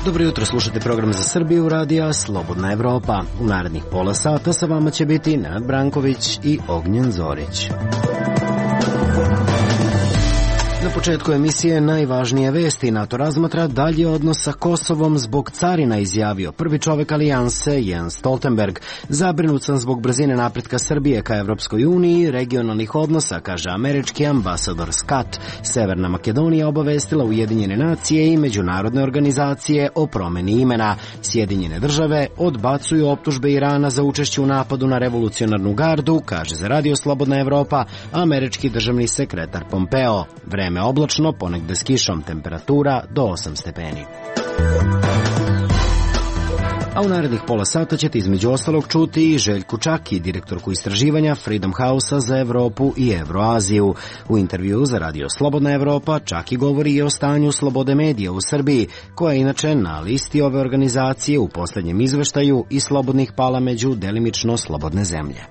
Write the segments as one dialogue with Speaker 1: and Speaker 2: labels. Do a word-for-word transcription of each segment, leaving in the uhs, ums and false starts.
Speaker 1: Dobro jutro, slušate program za Srbiju radija Slobodna Evropa. U narednih pola sata sa vama će biti Nenad Branković i Ognjen Zorić. Na početku emisije najvažnije vesti. NATO razmatra dalje odnos sa Kosovom zbog carina, izjavio prvi čovek alijanse Jens Stoltenberg. Zabrinut sam zbog brzine napretka Srbije ka Evropskoj uniji i regionalnih odnosa, kaže američki ambasador Scott. Severna Makedonija obavestila Ujedinjene nacije i međunarodne organizacije o promeni imena. Sjedinjene države odbacuju optužbe Irana za učešće u napadu na revolucionarnu gardu, kaže za Radio Slobodna Evropa američki državni sekretar Pompeo. Vreme oblačno, ponegde s kišom, temperatura do osam stepeni. A u narednih pola sata ćete između ostalog čuti i Željku Čaki, direktorku istraživanja Freedom House-a za Evropu i Evroaziju. U intervju za Radio Slobodna Evropa Čaki govori i o stanju slobode medija u Srbiji, koja je inače na listi ove organizacije u poslednjem izveštaju i slobodnih pala među delimično slobodne zemlje.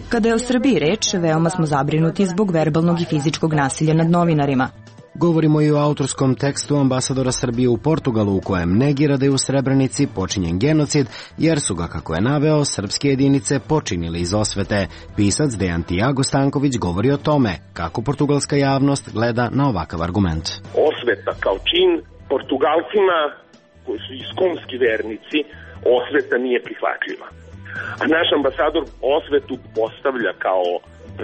Speaker 2: Kada je o Srbiji reč, veoma smo zabrinuti zbog verbalnog i fizičkog nasilja nad novinarima.
Speaker 1: Govorimo i o autorskom tekstu ambasadora Srbije u Portugalu, u kojem negira da je u Srebrenici počinjen genocid, jer su ga, kako je naveo, srpske jedinice počinili iz osvete. Pisac Dejan Tiago Stanković govori o tome kako portugalska javnost gleda na ovakav argument.
Speaker 3: Osveta kao čin Portugalcima, koji su iskonski vernici, osveta nije prihvatljiva. A naš ambasador osvetu postavlja kao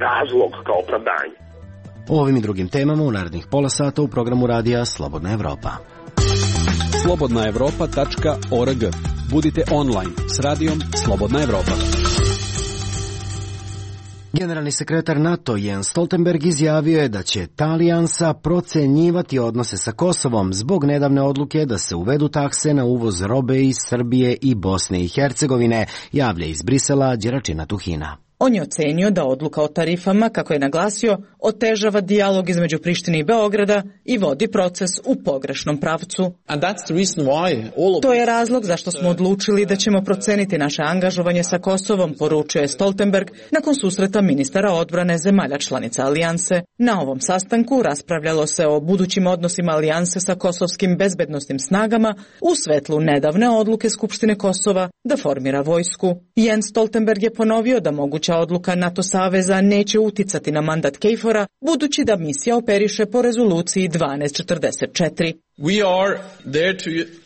Speaker 3: razlog, kao opravdanje.
Speaker 1: O ovim i drugim temama u narednih pola sata u programu radija Slobodna Evropa.
Speaker 4: slobodna evropa tačka org. Budite online s radijom Slobodna Evropa.
Speaker 1: Generalni sekretar NATO Jens Stoltenberg izjavio je da će ta alijansa procenjivati odnose sa Kosovom zbog nedavne odluke da se uvedu takse na uvoz robe iz Srbije i Bosne i Hercegovine, javlja iz Brisela Đeračina Tuhina.
Speaker 5: On je ocenio da odluka o tarifama, kako je naglasio, otežava dijalog između Prištine i Beograda i vodi proces u pogrešnom pravcu. To je razlog zašto smo odlučili da ćemo proceniti naše angažovanje sa Kosovom, poručuje Stoltenberg nakon susreta ministara odbrane zemalja članica alijanse. Na ovom sastanku raspravljalo se o budućim odnosima alijanse sa kosovskim bezbednosnim snagama u svetlu nedavne odluke Skupštine Kosova da formira vojsku. Jens Stoltenberg je ponovio da moguće odluka NATO saveza neće uticati na mandat KFOR-a, budući da misija operiše po rezoluciji dvanaest četrdeset četiri.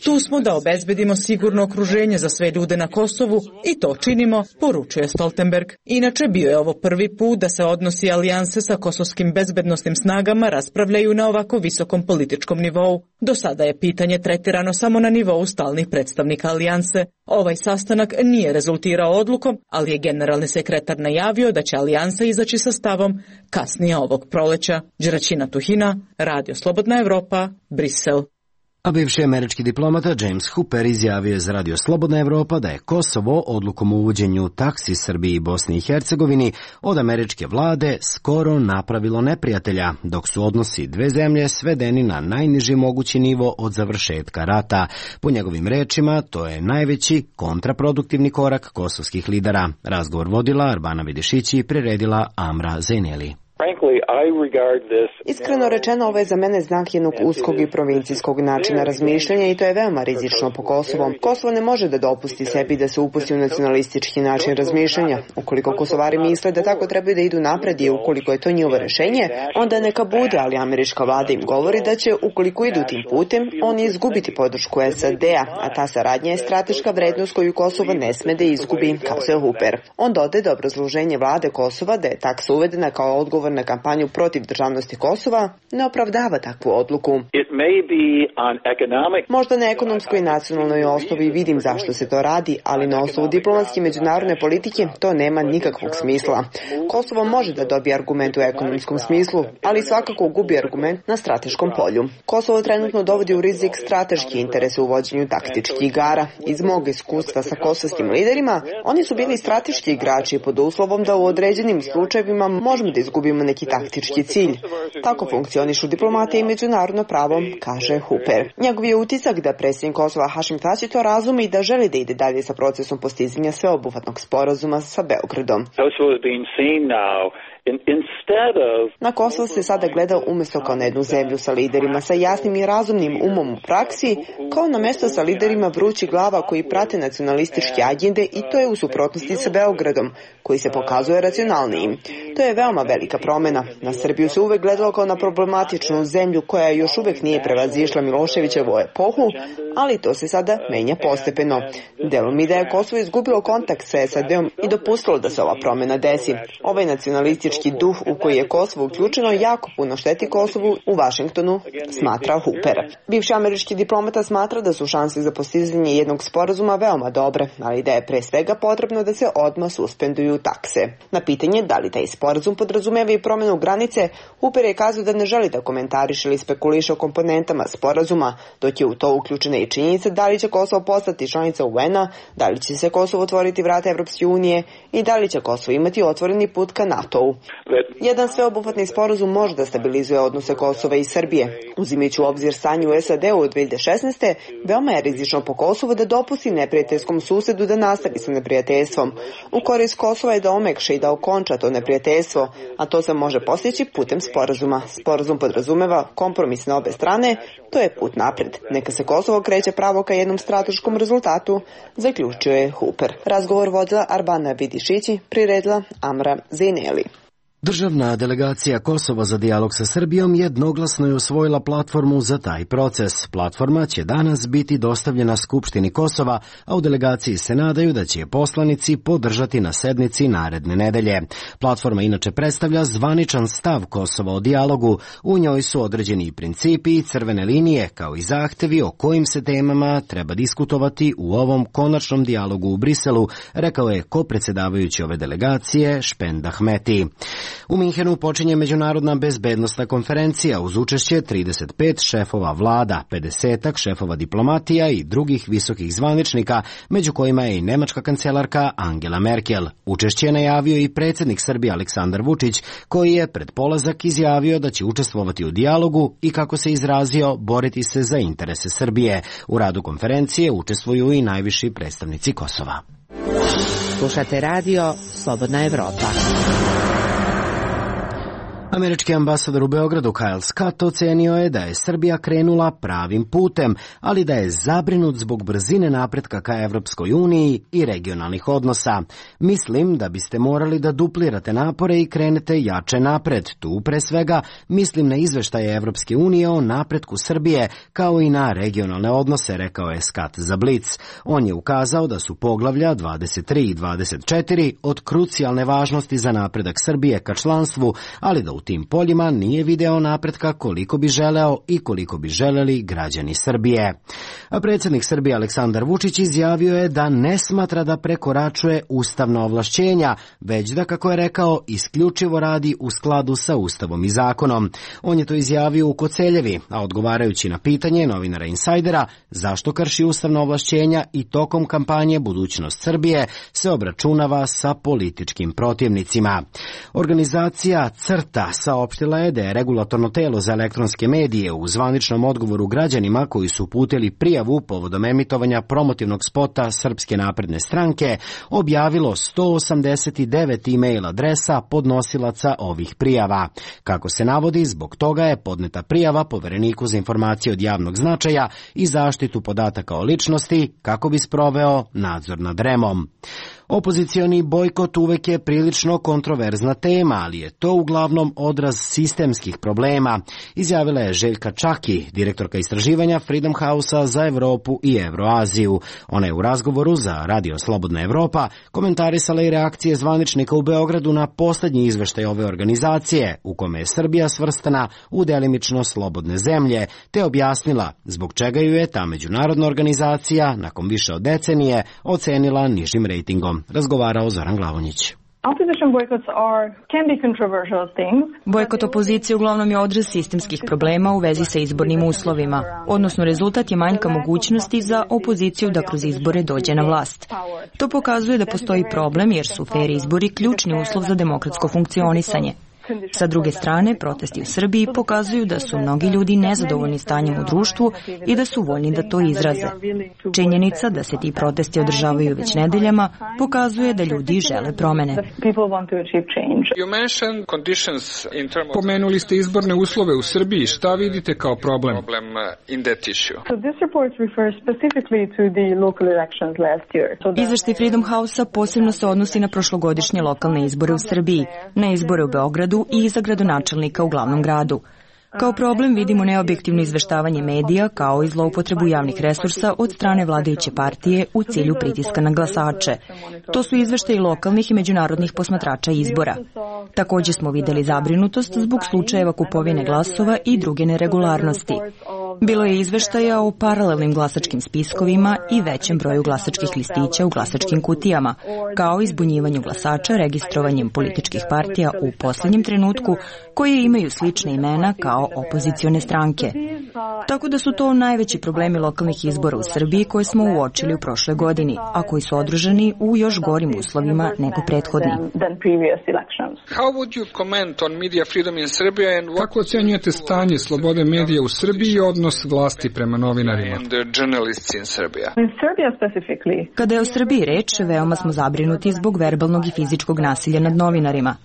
Speaker 5: Tu smo da obezbedimo sigurno okruženje za sve ljude na Kosovu i to činimo, poručuje Stoltenberg. Inače, bio je ovo prvi put da se odnosi alijanse sa kosovskim bezbednosnim snagama raspravljaju na ovako visokom političkom nivou. Do sada je pitanje tretirano samo na nivou stalnih predstavnika alijanse. Ovaj sastanak nije rezultirao odlukom, ali je generalni sekretar najavio da će alijansa izaći sa stavom kasnije ovog proleća. Đeračina Tuhina, Radio Slobodna Evropa, Brisel.
Speaker 1: A bivši američki diplomata James Hooper izjavio je za Radio Slobodna Evropa da je Kosovo odlukom o uvođenju taksi Srbiji i Bosni i Hercegovini od američke vlade skoro napravilo neprijatelja, dok su odnosi dve zemlje svedeni na najniži mogući nivo od završetka rata. Po njegovim rečima, to je najveći kontraproduktivni korak kosovskih lidera. Razgovor vodila Arbana Vidišići i priredila Amra Zeneli.
Speaker 6: Iskreno rečeno, ovo je za mene znak jednog uskog i provincijskog načina razmišljanja i to je veoma rizično po Kosovom. Kosovo ne može da dopusti sebi da se upusti u nacionalistički način razmišljanja. Ukoliko Kosovari misle da tako trebaju da idu napred i ukoliko je to njihovo rešenje, onda neka bude, ali američka vlada im govori da će, ukoliko idu tim putem, oni izgubiti podršku S A D-a, a ta saradnja je strateška vrednost koju Kosovo ne sme da izgubi, kazao Hooper. On dodaje da obrazloženje vlade Kosova da je taksa uvedena kao odgovor na kampanju protiv državnosti Kosova ne opravdava takvu odluku. Možda na ekonomskoj i nacionalnoj osnovi vidim zašto se to radi, ali na osnovu diplomatske i međunarodne politike to nema nikakvog smisla. Kosovo može da dobije argument u ekonomskom smislu, ali svakako gubi argument na strateškom polju. Kosovo trenutno dovodi u rizik strateški interes u vođenju taktičkih igara. Iz mog iskustva sa kosovskim liderima, oni su bili strateški igrači pod uslovom da u određenim slučajevima možemo da izgubimo ima neki taktički cilj. Tako funkcionišu diplomatije i međunarodno pravo, kaže Hooper. Njegov je utisak da predsjednik Kosova Hašim Tači to razume i da želi da ide dalje sa procesom postizanja sveobuhvatnog sporazuma sa Beogradom. Na Kosovo se sada gleda umjesto kao na jednu zemlju sa liderima sa jasnim i razumnim umom u praksi, kao na mesto sa liderima vrućih glava koji prate nacionalističke agende i to je u suprotnosti sa Beogradom, koji se pokazuje racionalnijim. To je veoma velika promjena. Na Srbiju se uvek gledalo kao na problematičnu zemlju koja još uvek nije prevazišla Miloševićevu epohu, ali to se sada menja postepeno. Delom mi da je Kosovo izgubilo kontakt sa S A D-om i dopustilo da se ova promjena desi. Ovaj nacionalistički duh u koji je Kosovo uključeno jako puno šteti Kosovu u Vašingtonu, smatra Hooper. Bivši američki diplomata smatra da su šanse za postizanje jednog sporazuma veoma dobre, ali da je pre svega potrebno da se odmah suspenduju takse. Na pitanje da li taj sporazum podrazumeva i promjenu granice, Hooper je kazao da ne želi da komentariše ili spekuliše o komponentama sporazuma, dok je u to uključena i činjenica da li će Kosovo postati članica U N-a, da li će se Kosovo otvoriti vrata Evropske unije i da li će Kosovo imati otvoreni put ka NATO-u. Jedan sveobuhvatni sporazum može da stabilizuje odnose Kosova i Srbije. Uzimajući u obzir stanje u S A D-u od dve hiljade šesnaeste. veoma je rizično po Kosovu da dopusti neprijateljskom susedu da nastavi sa neprijateljstvom. U korist Kosova je da omekša i da okonča to neprijateljstvo, a to se može postići putem sporazuma. Sporazum podrazumeva kompromis na obe strane, to je put napred. Neka se Kosovo kreće pravo ka jednom strateškom rezultatu, zaključio je Hooper. Razgovor vodila Arbana Vidišići, priredila Amra Zejneli.
Speaker 1: Državna delegacija Kosova za dijalog sa Srbijom jednoglasno je usvojila platformu za taj proces. Platforma će danas biti dostavljena Skupštini Kosova, a u delegaciji se nadaju da će je poslanici podržati na sednici naredne nedelje. Platforma inače predstavlja zvaničan stav Kosova o dijalogu. U njoj su određeni i principi i crvene linije, kao i zahtevi o kojim se temama treba diskutovati u ovom konačnom dijalogu u Briselu, rekao je kopredsjedavajući ove delegacije Špend Ahmeti. U Minhenu počinje međunarodna bezbednosna konferencija uz učešće trideset pet šefova vlada, pedeset šefova diplomatija i drugih visokih zvaničnika, među kojima je i nemačka kancelarka Angela Merkel. Učešće je najavio i predsjednik Srbije Aleksandar Vučić, koji je pred polazak izjavio da će učestvovati u dijalogu i, kako se izrazio, boriti se za interese Srbije. U radu konferencije učestvuju i najviši predstavnici Kosova.
Speaker 7: Slušate radio Slobodna Evropa.
Speaker 1: Američki ambasador u Beogradu Kyle Scott ocenio je da je Srbija krenula pravim putem, ali da je zabrinut zbog brzine napretka ka Evropskoj uniji i regionalnih odnosa. Mislim da biste morali da duplirate napore i krenete jače napred. Tu pre svega mislim na izveštaje Evropske unije o napretku Srbije, kao i na regionalne odnose, rekao je Scott za Blitz. On je ukazao da su poglavlja dvadeset tri i dvadeset četiri od krucijalne važnosti za napredak Srbije ka članstvu, ali da u tim poljima nije video napretka koliko bi želeo i koliko bi želeli građani Srbije. A predsjednik Srbije Aleksandar Vučić izjavio je da ne smatra da prekoračuje ustavna ovlašćenja, već da, kako je rekao, isključivo radi u skladu sa ustavom i zakonom. On je to izjavio u Koceljevi, a odgovarajući na pitanje novinara Insajdera zašto krši ustavna ovlašćenja i tokom kampanje Budućnost Srbije se obračunava sa političkim protivnicima. Organizacija CRTA saopštila je da je regulatorno telo za elektronske medije u zvaničnom odgovoru građanima koji su uputili prijavu povodom emitovanja promotivnog spota Srpske napredne stranke objavilo sto osamdeset devet e-mail adresa podnosilaca ovih prijava. Kako se navodi, zbog toga je podneta prijava Povereniku za informacije od javnog značaja i zaštitu podataka o ličnosti kako bi sproveo nadzor nad REM-om. Opozicioni bojkot uvek je prilično kontroverzna tema, ali je to uglavnom odraz sistemskih problema, izjavila je Željka Čaki, direktorka istraživanja Freedom House-a za Evropu i Evroaziju. Ona je u razgovoru za Radio Slobodna Evropa komentarisala i reakcije zvaničnika u Beogradu na poslednji izveštaj ove organizacije, u kome je Srbija svrstana u delimično slobodne zemlje, te objasnila zbog čega ju je ta međunarodna organizacija nakon više od decenije ocenila nižim rejtingom. Razgovarao Zoran Glavonjić.
Speaker 2: Bojkot opozicije uglavnom je odraz sistemskih problema u vezi sa izbornim uslovima, odnosno rezultat je manjka mogućnosti za opoziciju da kroz izbore dođe na vlast. To pokazuje da postoji problem jer su fer izbori ključni uslov za demokratsko funkcionisanje. Sa druge strane, protesti u Srbiji pokazuju da su mnogi ljudi nezadovoljni stanjem u društvu i da su voljni da to izraze. Činjenica da se ti protesti održavaju već nedeljama pokazuje da ljudi žele promene.
Speaker 8: Pomenuli ste izborne uslove u Srbiji. Šta vidite kao problem?
Speaker 2: Izveštaj Freedom House-a posebno se odnosi na prošlogodišnje lokalne izbore u Srbiji, na izbore u Beogradu i za gradonačelnika u glavnom gradu. Kao problem vidimo neobjektivno izveštavanje medija kao i zloupotrebu javnih resursa od strane vladajuće partije u cilju pritiska na glasače. To su izveštaji lokalnih i međunarodnih posmatrača izbora. Takođe smo videli zabrinutost zbog slučajeva kupovine glasova i druge neregularnosti. Bilo je izveštaja o paralelnim glasačkim spiskovima i većem broju glasačkih listića u glasačkim kutijama, kao i zbunjivanju glasača registrovanjem političkih partija u poslednjem trenutku koje imaju slične imena kao opozicione stranke. Tako da su to najveći problemi lokalnih izbora u Srbiji koje smo uočili u prošloj godini, a koji su održani u još gorim uslovima nego prethodni.
Speaker 8: Kako ocenjujete stanje slobode medija u Srbiji i odnos vlasti prema novinarima?
Speaker 2: Kada je o Srbiji reč, veoma smo zabrinuti zbog verbalnog i fizičkog nasilja nad novinarima.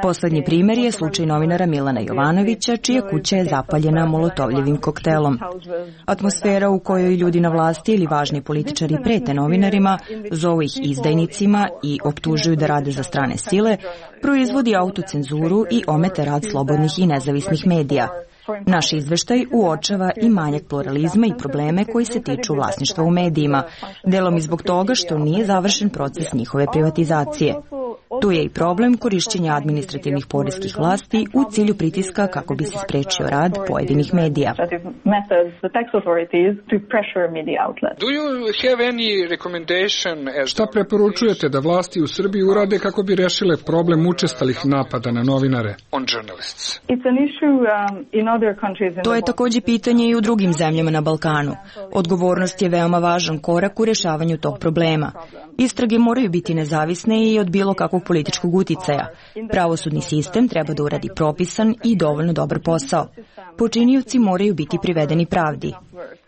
Speaker 2: Poslednji primer je slučaj novinara Milana Jovanovića, čija kuća je zapaljena molotovljevim koktelom. Atmosfera u kojoj ljudi na vlasti ili važni političari prete novinarima, zovu ih izdajnicima i optužuju da rade za strane sile, proizvodi autocenzuru i omete rad slobodnih i nezavisnih medija. Naš izveštaj uočava i manjak pluralizma i probleme koji se tiču vlasništva u medijima, delom i zbog toga što nije završen proces njihove privatizacije. Tu je i problem korišćenja administrativnih poreskih vlasti u cilju pritiska kako bi se sprečio rad pojedinih medija.
Speaker 8: Šta preporučujete da vlasti u Srbiji urade kako bi rešile problem učestalih napada na novinare?
Speaker 2: To je takođe pitanje i u drugim zemljama na Balkanu. Odgovornost je veoma važan korak u rešavanju tog problema. Istrage moraju biti nezavisne i od bilo kakvog političkog uticaja. Pravosudni sistem treba da uradi propisan i dovoljno dobar posao. Počinioci moraju biti privedeni pravdi.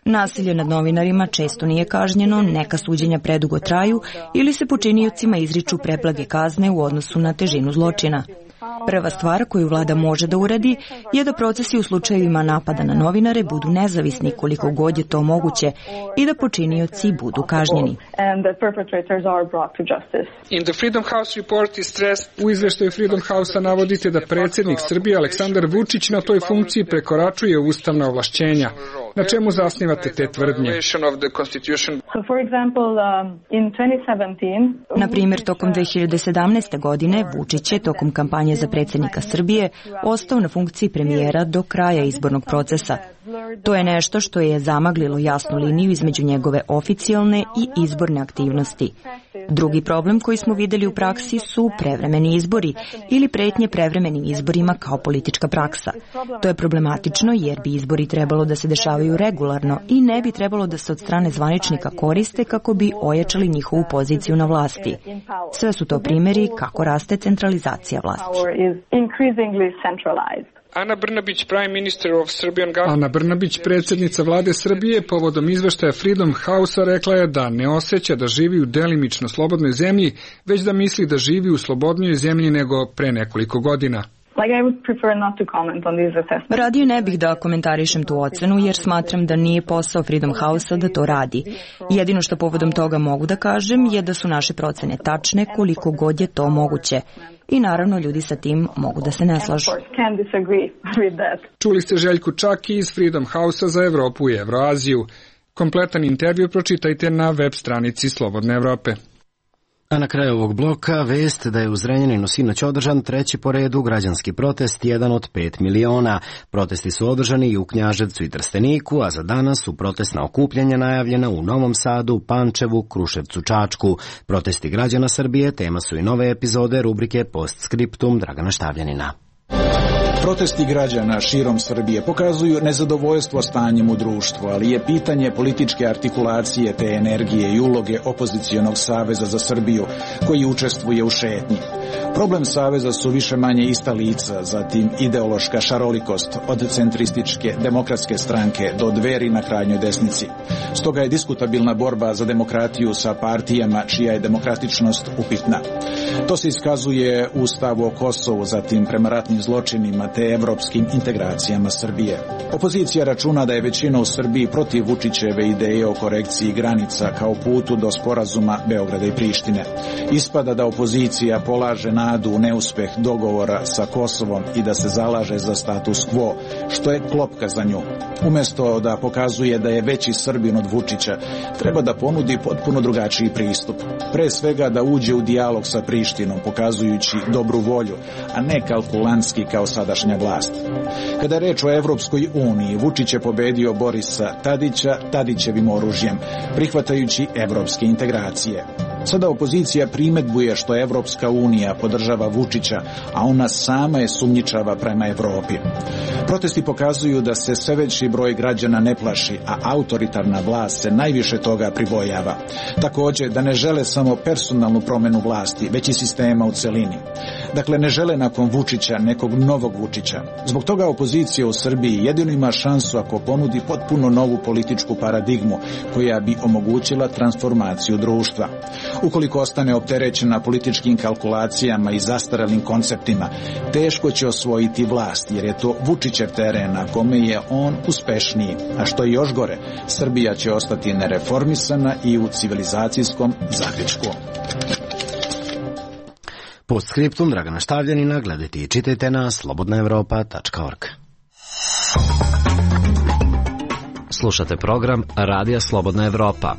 Speaker 2: Nasilje nad novinarima često nije kažnjeno, neka suđenja predugo traju ili se počiniocima izriču preblage kazne u odnosu na težinu zločina. Prva stvar koju vlada može da uradi je da procesi u slučajevima napada na novinare budu nezavisni koliko god je to moguće i da počinioci budu kažnjeni.
Speaker 8: U izveštaju Freedom House-a navodite da predsjednik Srbije Aleksandar Vučić na toj funkciji prekoračuje ustavna ovlašćenja. Na čemu zasnivate te tvrdnje?
Speaker 2: Na primjer, tokom dve hiljade sedamnaeste. godine Vučić je tokom kampanje za predsjednika Srbije ostao na funkciji premijera do kraja izbornog procesa. To je nešto što je zamaglilo jasnu liniju između njegove oficijalne i izborne aktivnosti. Drugi problem koji smo videli u praksi su prevremeni izbori ili pretnje prevremenim izborima kao politička praksa. To je problematično jer bi izbori trebalo da se dešavaju regularno i ne bi trebalo da se od strane zvaničnika koriste kako bi ojačali njihovu poziciju na vlasti. Sve su to primjeri kako raste centralizacija vlasti.
Speaker 8: Ana Brnabić, Prime Minister of Serbian Government. Ana Brnabić, predsjednica vlade Srbije, povodom izveštaja Freedom House-a rekla je da ne osjeća da živi u delimično slobodnoj zemlji, već da misli da živi u slobodnijoj zemlji nego pre nekoliko godina.
Speaker 2: Radije ne bih da komentarišem tu ocenu jer smatram da nije posao Freedom House-a da to radi. Jedino što povodom toga mogu da kažem je da su naše procene tačne koliko god je to moguće. I naravno ljudi sa tim mogu da se ne slažu.
Speaker 8: Čuli ste Željku Čaki iz Freedom House-a za Evropu i Evroaziju. Kompletan intervju pročitajte na web stranici Slobodne Evrope.
Speaker 1: A na kraju ovog bloka vest da je u Zrenjaninu sinoć održan treći po redu građanski protest, jedan od pet miliona. Protesti su održani i u Knjaževcu i Trsteniku, a za danas su protestna okupljanja najavljena u Novom Sadu, Pančevu, Kruševcu, Čačku. Protesti građana Srbije tema su i nove epizode rubrike Postscriptum Dragana Štavljanina.
Speaker 9: Protesti građana širom Srbije pokazuju nezadovoljstvo stanjem u društvu, ali je pitanje političke artikulacije te energije i uloge opozicionog saveza za Srbiju koji učestvuje u šetnji. Problem saveza su više manje ista lica, zatim ideološka šarolikost od centrističke demokratske stranke do Dveri na krajnjoj desnici. Stoga je diskutabilna borba za demokratiju sa partijama čija je demokratičnost upitna. To se iskazuje u stavu o Kosovu, zatim prema ratnim zločinima te evropskim integracijama Srbije. Opozicija računa da je većina u Srbiji protiv Vučićeve ideje o korekciji granica kao putu do sporazuma Beograda i Prištine. Ispada da opozicija polaže nadu u neuspeh dogovora sa Kosovom i da se zalaže za status quo, što je klopka za nju. Umjesto da pokazuje da je veći Srbin od Vučića, treba da ponudi potpuno drugačiji pristup. Pre svega da uđe u dijalog sa Prištinom, pokazujući dobru volju, a ne kalkulantski kao sadašnja vlast. Kada je reč o Evropskoj uniji, Vučić je pobedio Borisa Tadića Tadićevim oružjem, prihvatajući evropske integracije. Sada opozicija primedbuje što Evropska unija podržava Vučića, a ona sama je sumnjičava prema Evropi. Protesti pokazuju da se sve veći broj građana ne plaši, a autoritarna vlast se najviše toga pribojava. Također da ne žele samo personalnu promenu vlasti, već i sistema u celini. Dakle, ne žele nakon Vučića nekog novog Vučića. Zbog toga opozicija u Srbiji jedino ima šansu ako ponudi potpuno novu političku paradigmu koja bi omogućila transformaciju društva. Ukoliko ostane opterećena političkim kalkulacijama i zastaralim konceptima, teško će osvojiti vlast, jer je to Vučićev teren na kome je on uspešniji. A što je još gore, Srbija će ostati nereformisana i u civilizacijskom zapećku.
Speaker 1: Postskriptum Dragana Štavljanina gledajte i čitajte na slobodna evropa tačka org. Slušate program Radija Slobodna Evropa.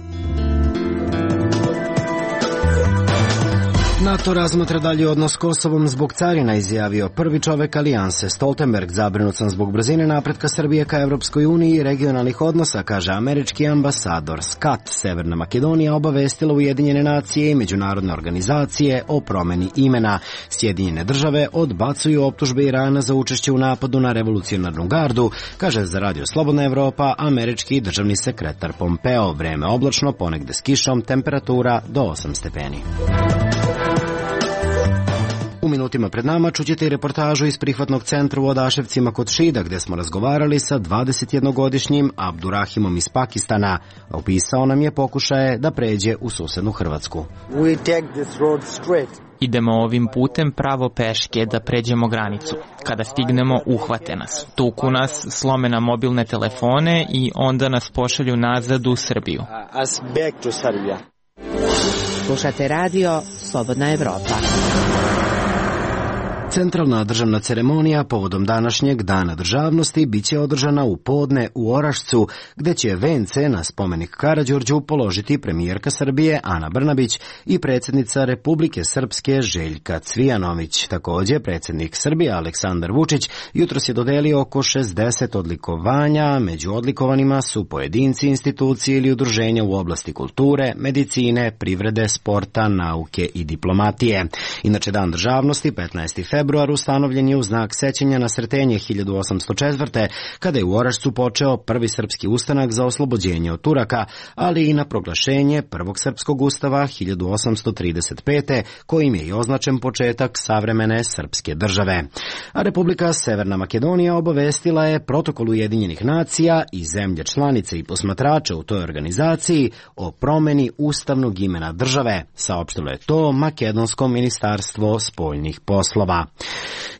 Speaker 1: NATO razmatra dalji odnos s Kosovom zbog carina, izjavio prvi čovek alijanse. Stoltenberg zabrinut sam zbog brzine napretka Srbije ka Evropskoj uniji i regionalnih odnosa, kaže američki ambasador Scott. Severna Makedonija obavestila Ujedinjene nacije i međunarodne organizacije o promeni imena. Sjedinjene države odbacuju optužbe Irana za učešće u napadu na revolucionarnu gardu, kaže za Radio Slobodna Evropa američki državni sekretar Pompeo. Vreme oblačno, ponegde s kišom, temperatura do osam stepeni. U minutima pred nama čućete i reportažu iz prihvatnog centra u Odaševcima kod Šida, gde smo razgovarali sa dvadesetjednogodišnjim Abdurahimom iz Pakistana. Opisao nam je pokušaje da pređe u susednu Hrvatsku.
Speaker 10: Idemo ovim putem pravo peške da pređemo granicu. Kada stignemo, uhvate nas. Tuku nas, slome nam mobilne telefone i onda nas pošalju nazad u Srbiju.
Speaker 7: Slušate radio Slobodna Evropa.
Speaker 1: Centralna državna ceremonija povodom današnjeg Dana državnosti biće održana u podne u Orašcu, gde će vence na spomenik Karađorđu položiti premijerka Srbije Ana Brnabić i predsjednica Republike Srpske Željka Cvijanović. Također, predsjednik Srbije Aleksandar Vučić jutros je dodelio oko šezdeset odlikovanja. Među odlikovanima su pojedinci, institucije ili udruženja u oblasti kulture, medicine, privrede, sporta, nauke i diplomatije. Inače, Dan državnosti, petnaesti februar, ustanovljen je u znak sećanja na Sretenje hiljadu osamsto četvrte. kada je u Orašcu počeo prvi srpski ustanak za oslobođenje od Turaka, ali i na proglašenje prvog srpskog ustava hiljadu osamsto trideset pete. kojim je i označen početak savremene srpske države. A Republika Severna Makedonija obavestila je protokol Ujedinjenih nacija i zemlje članice i posmatrača u toj organizaciji o promeni ustavnog imena države. Saopštilo je to Makedonsko ministarstvo spoljnih poslova.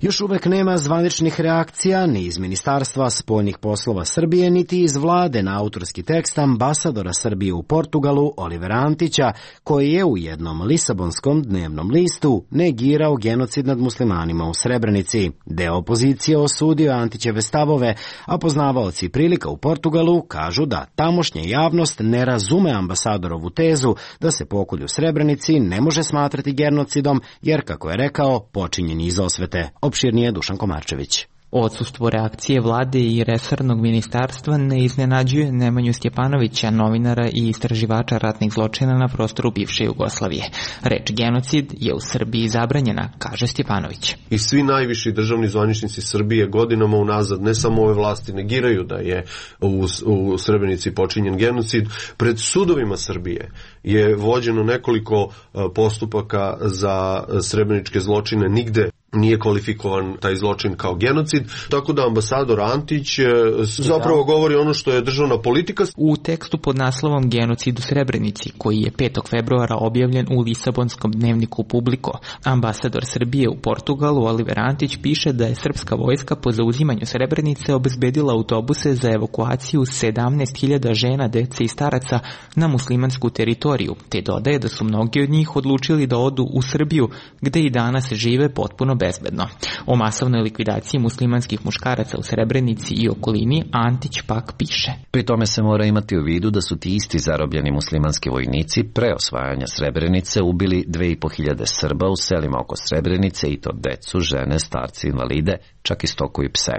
Speaker 1: Još uvek nema zvaničnih reakcija ni iz Ministarstva spoljnih poslova Srbije, niti iz vlade na autorski tekst ambasadora Srbije u Portugalu Olivera Antića, koji je u jednom lisabonskom dnevnom listu negirao genocid nad muslimanima u Srebrenici. Deo opozicije osudio Antićeve stavove, a poznavaoci prilika u Portugalu kažu da tamošnja javnost ne razume ambasadorovu tezu da se pokolj u Srebrenici ne može smatrati genocidom, jer, kako je rekao, počinjen iz osvete. Opširnije Dušan Komarčević.
Speaker 10: Odsustvo reakcije vlade i resornog ministarstva ne iznenađuje Nemanju Stjepanovića, novinara i istraživača ratnih zločina na prostoru bivše Jugoslavije. Reč genocid je u Srbiji zabranjena, kaže Stjepanović.
Speaker 11: I svi najviši državni zvaničnici Srbije godinama unazad, ne samo ove vlasti, negiraju da je u, u Srebrenici počinjen genocid. Pred sudovima Srbije je vođeno nekoliko postupaka za srebreničke zločine, nigde nije kvalifikovan taj zločin kao genocid, tako da ambasador Antić zapravo govori ono što je državna politika.
Speaker 10: U tekstu pod naslovom Genocid u Srebrenici, koji je petog februara objavljen u Lisabonskom dnevniku Publiko, ambasador Srbije u Portugalu Oliver Antić piše da je srpska vojska po zauzimanju Srebrenice obezbedila autobuse za evakuaciju sedamnaest hiljada žena, dece i staraca na muslimansku teritoriju, te dodaje da su mnogi od njih odlučili da odu u Srbiju, gde i danas žive potpuno bezbedno. O masovnoj likvidaciji muslimanskih muškaraca u Srebrenici i okolini Antić pak piše.
Speaker 12: Pri tome se mora imati u vidu da su ti isti zarobljeni muslimanski vojnici pre osvajanja Srebrenice ubili dve i po hiljade Srba u selima oko Srebrenice, i to decu, žene, starci, invalide, čak i stoku i pse.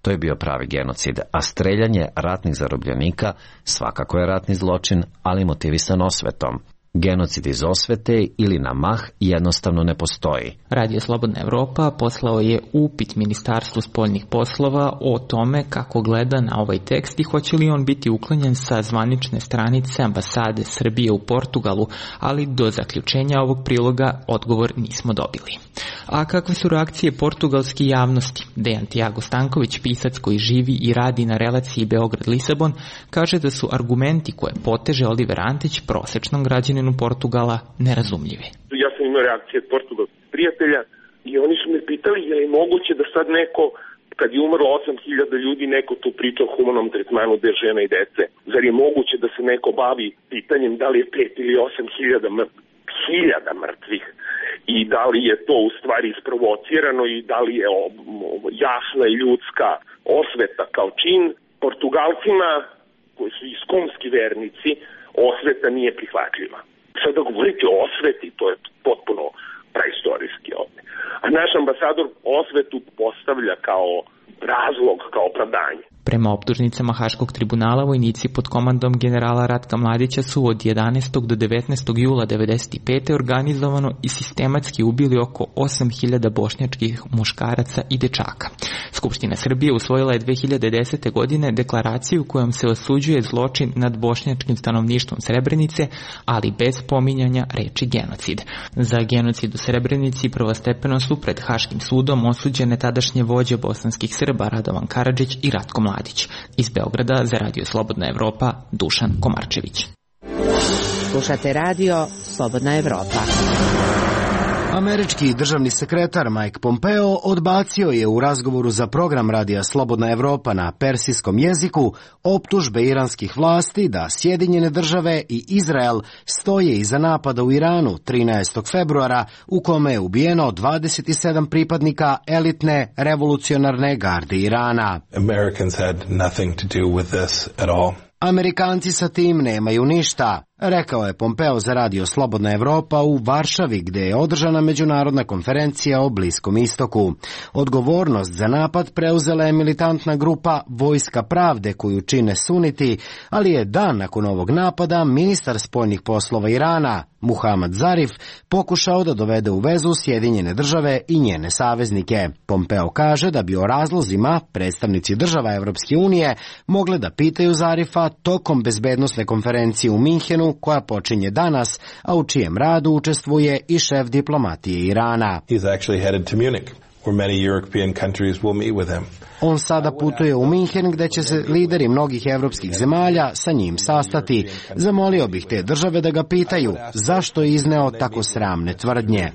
Speaker 12: To je bio pravi genocid, a streljanje ratnih zarobljenika svakako je ratni zločin, ali motivisan osvetom. Genocid iz osvete ili na mah jednostavno ne postoji.
Speaker 10: Radio Slobodna Evropa poslao je upit Ministarstvu spoljnih poslova o tome kako gleda na ovaj tekst i hoće li on biti uklonjen sa zvanične stranice ambasade Srbije u Portugalu, ali do zaključenja ovog priloga odgovor nismo dobili. A kakve su reakcije portugalske javnosti? Dejan Tiago Stanković, pisac koji živi i radi na relaciji Beograd-Lisabon, kaže da su argumenti koje poteže Oliver Antić prosečnom građaninu Portugala nerazumljivi.
Speaker 3: Ja sam imao reakcije od portugalskih prijatelja i oni su me pitali je li moguće da sad neko, kad je umrlo osam hiljada ljudi, neko tu priča o humanom tretmanu bez žena i dece. Zar je moguće da se neko bavi pitanjem da li je pet ili osam hiljada hiljada mrtvih i da li je to u stvari isprovocirano i da li je jasna i ljudska osveta kao čin. Portugalcima, koji su iskonski vernici, osveta nije prihvatljiva. Sada govoriti o osveti, to je potpuno praistorijski ovdje. A naš ambasador osvetu postavlja kao razlog, kao opravdanje.
Speaker 10: Prema optužnicama Haškog tribunala, vojnici pod komandom generala Ratka Mladića su od jedanaestog do devetnaestog jula devedeset pete organizovano i sistematski ubili oko osam hiljada bošnjačkih muškaraca i dečaka. Skupština Srbije usvojila je dve hiljade desete. godine deklaraciju kojom se osuđuje zločin nad bošnjačkim stanovništvom Srebrenice, ali bez pominjanja reči genocid. Za genocid u Srebrenici prvostepeno su pred Haškim sudom osuđene tadašnje vođe bosanskih Srba Radovan Karadžić i Ratko Mladić. Iz Beograda za Radio Slobodna Evropa, Dušan Komarčević.
Speaker 7: Slušate Radio Slobodna Evropa.
Speaker 1: Američki državni sekretar Mike Pompeo odbacio je u razgovoru za program Radija Slobodna Evropa na persijskom jeziku optužbe iranskih vlasti da Sjedinjene države i Izrael stoje iza napada u Iranu trinaestog februara u kome je ubijeno dvadeset sedam pripadnika elitne revolucionarne garde Irana.
Speaker 13: Americans had nothing to do with this at all.
Speaker 1: Amerikanci sa tim nemaju ništa, rekao je Pompeo za Radio Slobodna Evropa u Varšavi, gde je održana međunarodna konferencija o Bliskom istoku. Odgovornost za napad preuzela je militantna grupa Vojska pravde koju čine suniti, ali je dan nakon ovog napada ministar spoljnih poslova Irana, Muhamad Zarif, pokušao da dovede u vezu Sjedinjene države i njene saveznike. Pompeo kaže da bi o razlozima predstavnici država Evropske unije mogle da pitaju Zarifa tokom bezbednosne konferencije u Minhenu koja počinje danas, a u čijem radu učestvuje i šef diplomatije Irana.
Speaker 13: He's actually headed to Munich, where many European countries will meet with him.
Speaker 1: On sada putuje u Minhen gde će se lideri mnogih evropskih zemalja sa njim sastati. Zamolio bih te države da ga pitaju zašto je izneo tako sramne tvrdnje.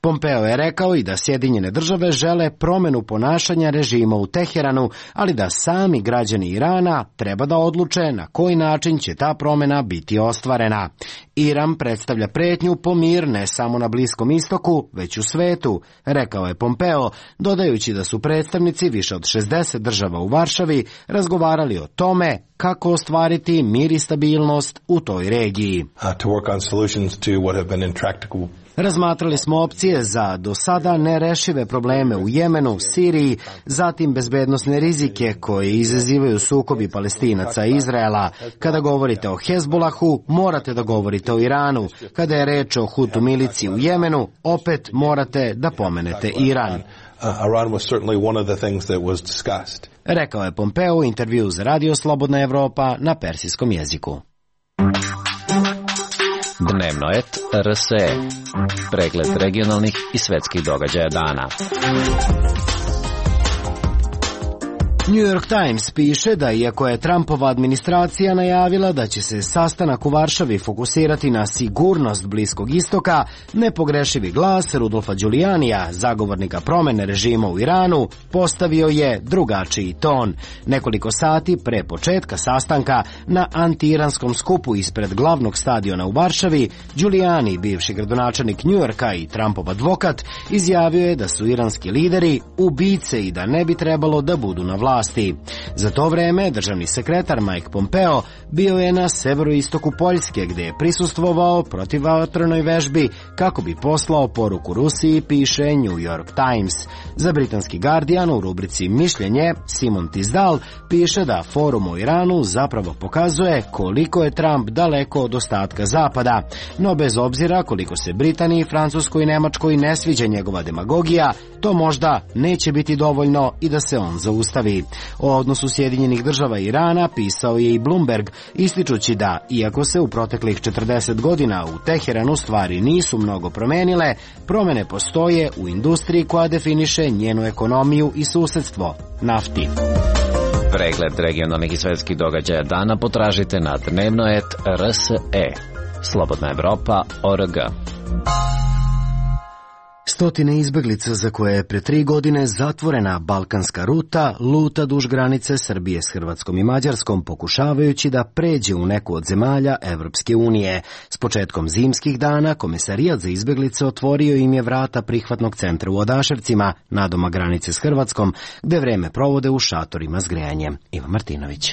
Speaker 1: Pompeo je rekao i da Sjedinjene države žele promenu ponašanja režima u Teheranu, ali da sami građani Irana treba da odluče na koji način će ta promena biti ostvarena. Iran predstavlja pretnju po mir ne samo na Bliskom istoku, već u svetu, rekao je Pompeo, dodajući da su predstavnici više od šezdeset država u Varšavi razgovarali o tome kako ostvariti mir i stabilnost u toj regiji. Razmatrali smo opcije za do sada nerešive probleme u Jemenu, Siriji, zatim bezbednosne rizike koje izazivaju sukobi Palestinaca i Izraela. Kada govorite o Hezbolahu, morate da govorite o Iranu. Kada je reč o Hutu miliciji u Jemenu, opet morate da pomenete Iran. Rekao je Pompeo u intervju za Radio Slobodna Evropa na persijskom jeziku.
Speaker 12: Dnevnoet R S E. Pregled regionalnih i svetskih događaja dana.
Speaker 1: New York Times piše da iako je Trumpova administracija najavila da će se sastanak u Varšavi fokusirati na sigurnost Bliskog istoka, nepogrešivi glas Rudolfa Giulianija, zagovornika promene režima u Iranu, postavio je drugačiji ton. Nekoliko sati pre početka sastanka na anti-iranskom skupu ispred glavnog stadiona u Varšavi, Giuliani, bivši gradonačelnik New Yorka i Trumpov advokat, izjavio je da su iranski lideri ubice i da ne bi trebalo da budu na vlasti. Za to vreme državni sekretar Mike Pompeo bio je na severoistoku Poljske gde je prisustvovao protivvatrenoj vežbi kako bi poslao poruku Rusiji, piše New York Times. Za britanski Guardian u rubrici Mišljenje Simon Tisdall piše da forum o Iranu zapravo pokazuje koliko je Trump daleko od ostatka Zapada, no bez obzira koliko se Britaniji, Francuskoj i Nemačkoj ne sviđa njegova demagogija, to možda neće biti dovoljno i da se on zaustavi. O odnosu Sjedinjenih država i Irana pisao je i Bloomberg, ističući da, iako se u proteklih četrdeset godina u Teheranu stvari nisu mnogo promenile, promene postoje u industriji koja definiše njenu ekonomiju i susedstvo, nafti.
Speaker 12: Pregled regionalnih i svetskih događaja dana potražite na Dnevnoet R S E. Slobodna Evropa, O R G.
Speaker 1: Stotine izbeglica za koje je pre tri godine zatvorena balkanska ruta luta duž granice Srbije s Hrvatskom i Mađarskom, pokušavajući da pređe u neku od zemalja Evropske unije. S početkom zimskih dana Komesarijat za izbeglice otvorio im je vrata prihvatnog centra u Odaševcima, nadoma granice s Hrvatskom, gde vreme provode u šatorima s grejanjem. Iva Martinović.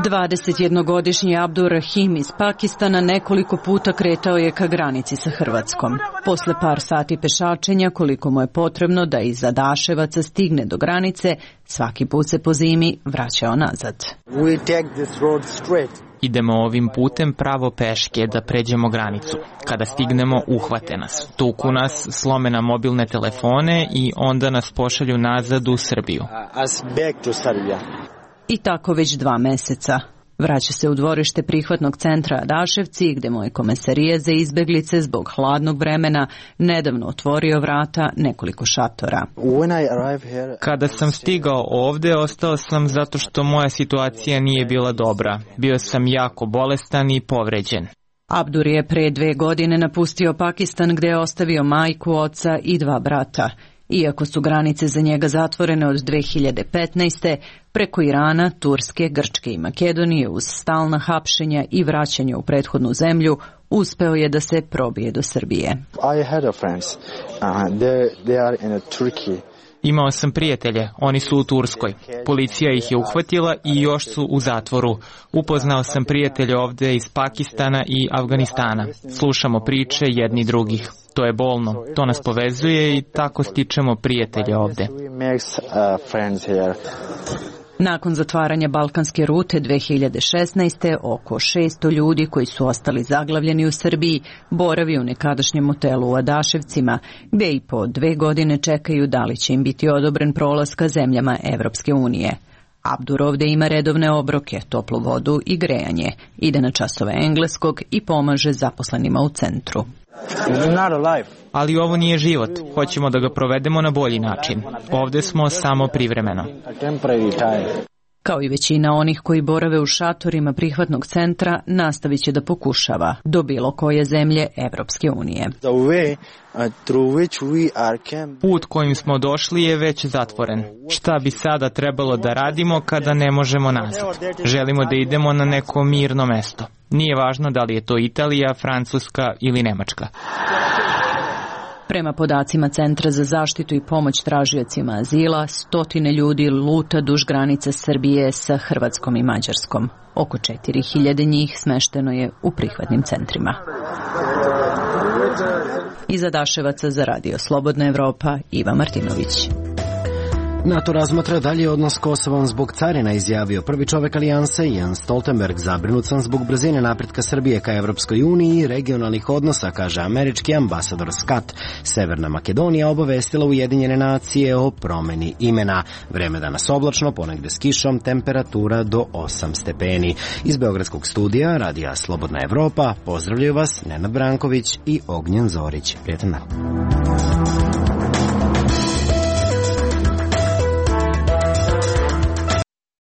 Speaker 14: dvadesetjednogodišnji Abdur Rahim iz Pakistana nekoliko puta kretao je ka granici sa Hrvatskom. Posle par sati pešačenja, koliko mu je potrebno da iz Adaševaca stigne do granice, svaki put se po zimi vraćao nazad.
Speaker 10: Idemo ovim putem pravo peške da pređemo granicu. Kada stignemo, uhvate nas. Tuku nas, slome na mobilne telefone i onda nas pošalju nazad u Srbiju.
Speaker 14: I tako već dva meseca. Vraća se u dvorište prihvatnog centra Adaševci, gde mu je Komesarijat za izbeglice zbog hladnog vremena nedavno otvorio vrata nekoliko šatora.
Speaker 10: Kada sam stigao ovde, ostao sam zato što moja situacija nije bila dobra. Bio sam jako bolestan i povređen.
Speaker 14: Abdur je pre dve godine napustio Pakistan, gde je ostavio majku, oca i dva brata. Iako su granice za njega zatvorene od dve hiljade petnaeste. preko Irana, Turske, Grčke i Makedonije uz stalna hapšenja i vraćanja u prethodnu zemlju, uspeo je da se probije do Srbije.
Speaker 15: I had a friends. Uh, they, they are in Turkey.
Speaker 10: Imao sam prijatelje, oni su u Turskoj. Policija ih je uhvatila i još su u zatvoru. Upoznao sam prijatelje ovde iz Pakistana i Afganistana. Slušamo priče jedni drugih. To je bolno, to nas povezuje i tako stičemo prijatelje ovde.
Speaker 14: Nakon zatvaranja balkanske rute dve hiljade šesnaeste. oko šesto ljudi koji su ostali zaglavljeni u Srbiji boravi u nekadašnjem motelu u Adaševcima, gde i po dve godine čekaju da li će im biti odobren prolaz ka zemljama Evropske unije. Abdur ovde ima redovne obroke, toplu vodu i grejanje, ide na časove engleskog i pomaže zaposlenima u centru.
Speaker 10: Ali ovo nije život. Hoćemo da ga provedemo na bolji način. Ovde smo samo privremeno.
Speaker 14: Kao i većina onih koji borave u šatorima prihvatnog centra, nastavit će da pokušava do bilo koje zemlje Evropske unije.
Speaker 10: Put kojim smo došli je već zatvoren. Šta bi sada trebalo da radimo kada ne možemo nazad? Želimo da idemo na neko mirno mesto. Nije važno da li je to Italija, Francuska ili Nemačka.
Speaker 14: Prema podacima Centra za zaštitu i pomoć tražiocima azila, stotine ljudi luta duž granice Srbije sa Hrvatskom i Mađarskom. Oko četiri hiljade njih smešteno je u prihvatnim centrima. Iz Adaševaca za Radio Slobodna Evropa, Iva Martinović.
Speaker 1: NATO razmatra dalje odnos s Kosovom zbog carina, izjavio prvi čovek alijanse Jens Stoltenberg. Zabrinut sam zbog brzine napretka Srbije ka Evropskoj uniji i regionalnih odnosa, kaže američki ambasador Scott. Severna Makedonija obavestila Ujedinjene nacije o promeni imena. Vreme danas oblačno, ponegde s kišom, temperatura do osam stepeni. Iz Beogradskog studija Radija Slobodna Evropa pozdravljaju vas Nenad Branković i Ognjen Zorić. Prijetan dan.